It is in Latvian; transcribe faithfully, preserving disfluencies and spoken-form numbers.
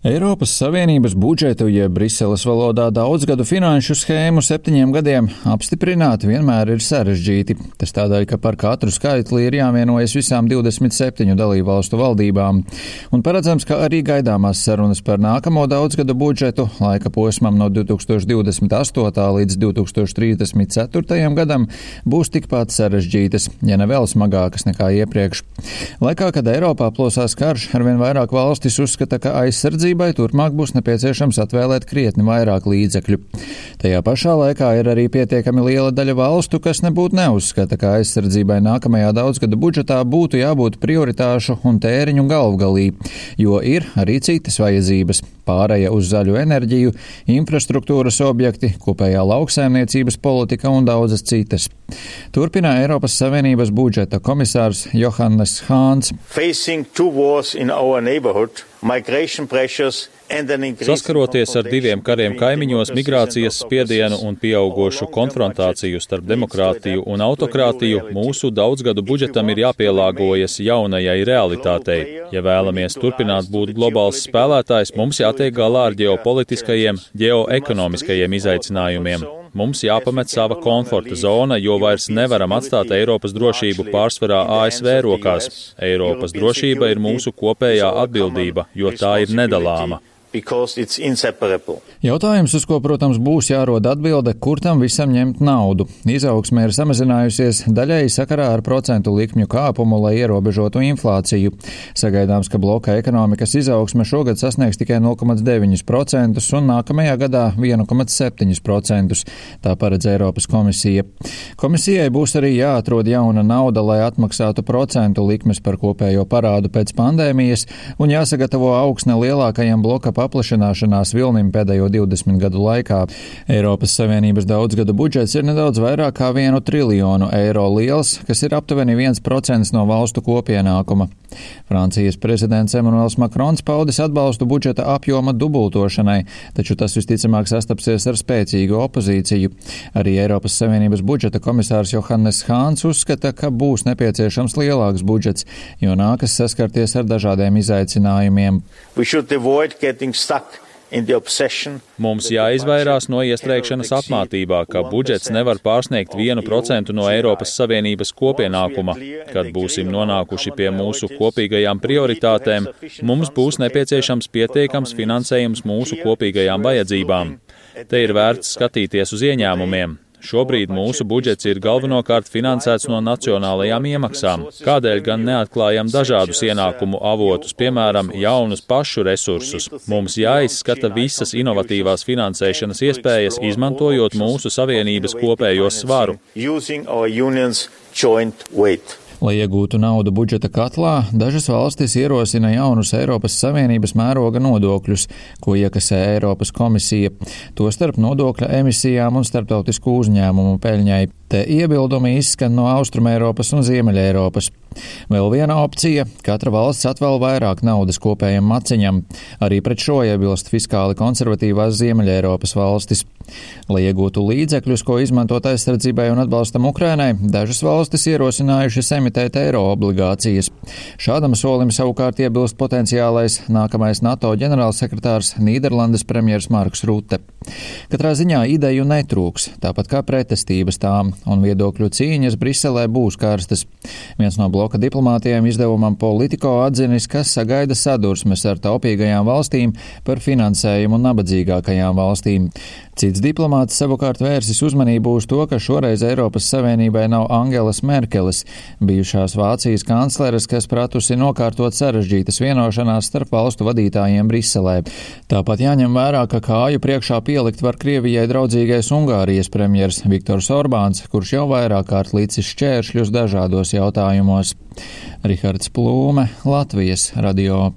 Eiropas Savienības budžetu, jeb Briseles valodā daudzgadu finanšu schēmu septiņiem gadiem apstiprināt vienmēr ir sarežģīti. Tas tādēļ, ka par katru skaitli ir jāvienojas visām divdesmit septiņu dalībvalstu valdībām. Un paredzams, ka arī gaidāmās sarunas par nākamo daudzgadu budžetu laika posmam no divi tūkstoši divdesmit astotā līdz divi tūkstoši trīsdesmit ceturtajam gadam būs tikpat sarežģītas, ja ne vēl smagākas nekā iepriekš. Laikā, kad Eiropā plosās karš, arvien vairāk valstis uzskata, ka aizsardzība turpmāk būs nepieciešams atvēlēt krietni vairāk līdzekļu. Tajā pašā laikā ir arī pietiekami liela daļa valstu, kas nebūtu neuzskata, ka aizsardzībai nākamajā daudzgadu budžetā būtu jābūt prioritāšu un tēriņu galvgalī, jo ir arī citas vajadzības – pāreja uz zaļu enerģiju, infrastruktūras objekti, kopējā lauksaimniecības politika un daudzas citas. Turpina Eiropas Savienības budžeta komisārs Johannes Hāns. Saskaroties ar diviem kariem kaimiņos, migrācijas spiedienu un pieaugošu konfrontāciju starp demokrātiju un autokrātiju, mūsu daudzgadu budžetam ir jāpielāgojas jaunajai realitātei. Ja vēlamies turpināt būt globāls spēlētājs, mums jātiek galā ar ģeopolitiskajiem, ģeoekonomiskajiem izaicinājumiem. Mums jāpamet sava komforta zona, jo vairs nevaram atstāt Eiropas drošību pārsvarā A S V rokās. Eiropas drošība ir mūsu kopējā atbildība, jo tā ir nedalāma. Jautājums, uz ko, protams, būs jārod atbilde, kur tam visam ņemt naudu. Izaugsme ir samazinājusies daļēji sakarā ar procentu likmju kāpumu, lai ierobežotu inflāciju. Sagaidāms, ka bloka ekonomikas izaugsme šogad sasniegs tikai nulle komats deviņi procenti un nākamajā gadā viens komats septiņi procenti. Tā paredz Eiropas komisija. Komisijai būs arī jāatrod jauna nauda, lai atmaksātu procentu likmes par kopējo parādu pēc pandēmijas un jāsagatavo augsne lielākajam bloka paplašināšanās vilnim pēdējo divdesmit gadu laikā. Eiropas Savienības daudzgadu budžets ir nedaudz vairāk kā vienu triljonu eiro liels, kas ir aptuveni viens procents no valstu kopienākuma. Francijas prezidents Emmanuels Macrons paudis atbalstu budžeta apjoma dubultošanai, taču tas visticamāk sastapsies ar spēcīgu opozīciju. Arī Eiropas Savienības budžeta komisārs Johannes Hāns uzskata, ka būs nepieciešams lielāks budžets, jo nākas saskarties ar dažādiem izaicinājumiem. Mums jāizvairās no iestrēgšanas apmātībā, ka budžets nevar pārsniegt vienu procentu no Eiropas Savienības kopienākuma. Kad būsim nonākuši pie mūsu kopīgajām prioritātēm, mums būs nepieciešams pietiekams finansējums mūsu kopīgajām vajadzībām. Te ir vērts skatīties uz ieņēmumiem. Šobrīd mūsu budžets ir galvenokārt finansēts no nacionālajām iemaksām. Kādēļ gan neatklājam dažādus ienākumu avotus, piemēram, jaunus pašu resursus? Mums jāizskata visas inovatīvās finansēšanas iespējas, izmantojot mūsu savienības kopējo svaru. Lai iegūtu naudu budžeta katlā, dažas valstis ierosina jaunus Eiropas Savienības mēroga nodokļus, ko iekasē Eiropas komisija, tostarp nodokļa emisijām un starptautisku uzņēmumu peļņai. Te iebildumi izskan no Austrumeiropas un Ziemeļeiropas. Vēl viena opcija – katra valsts atvēl vairāk naudas kopējam maciņam. Arī pret šo iebilst fiskāli konservatīvās Ziemeļeiropas valstis. Lai iegūtu līdzekļus, ko izmantot aizsardzībai un atbalstam Ukrainai, dažas valstis ierosinājušas emitēt eiro obligācijas. Šādam solim savukārt iebilst potenciālais nākamais NATO ģenerālsekretārs Nīderlandes premjers Marks Rute. Katrā ziņā ideju netrūks, tāpat kā pretestības tām, un viedokļu cīņas Briselē būs karstas. Viens no bloka diplomātiem izdevumam Politico atzinis, ka sagaida sadursmes ar taupīgajām valstīm par finansējumu nabadzīgākajām valstīm. Cits diplomāts savukārt vērsis uzmanību uz to, ka šoreiz Eiropas Savienībai nav Angelas Merkeles, bijušās Vācijas kancleres, kas pratusi nokārtot sarežģītas vienošanās starp valstu vadītājiem Briselē. Tāpat jāņem vērā, ka kāju priekšā pielikt var Krievijai draudzīgais Ungārijas premjers Viktors Orbāns, kurš jau vairāk kārt līdzis šķēršļus dažādos jautājumos. Rihards Plūme, Latvijas radio.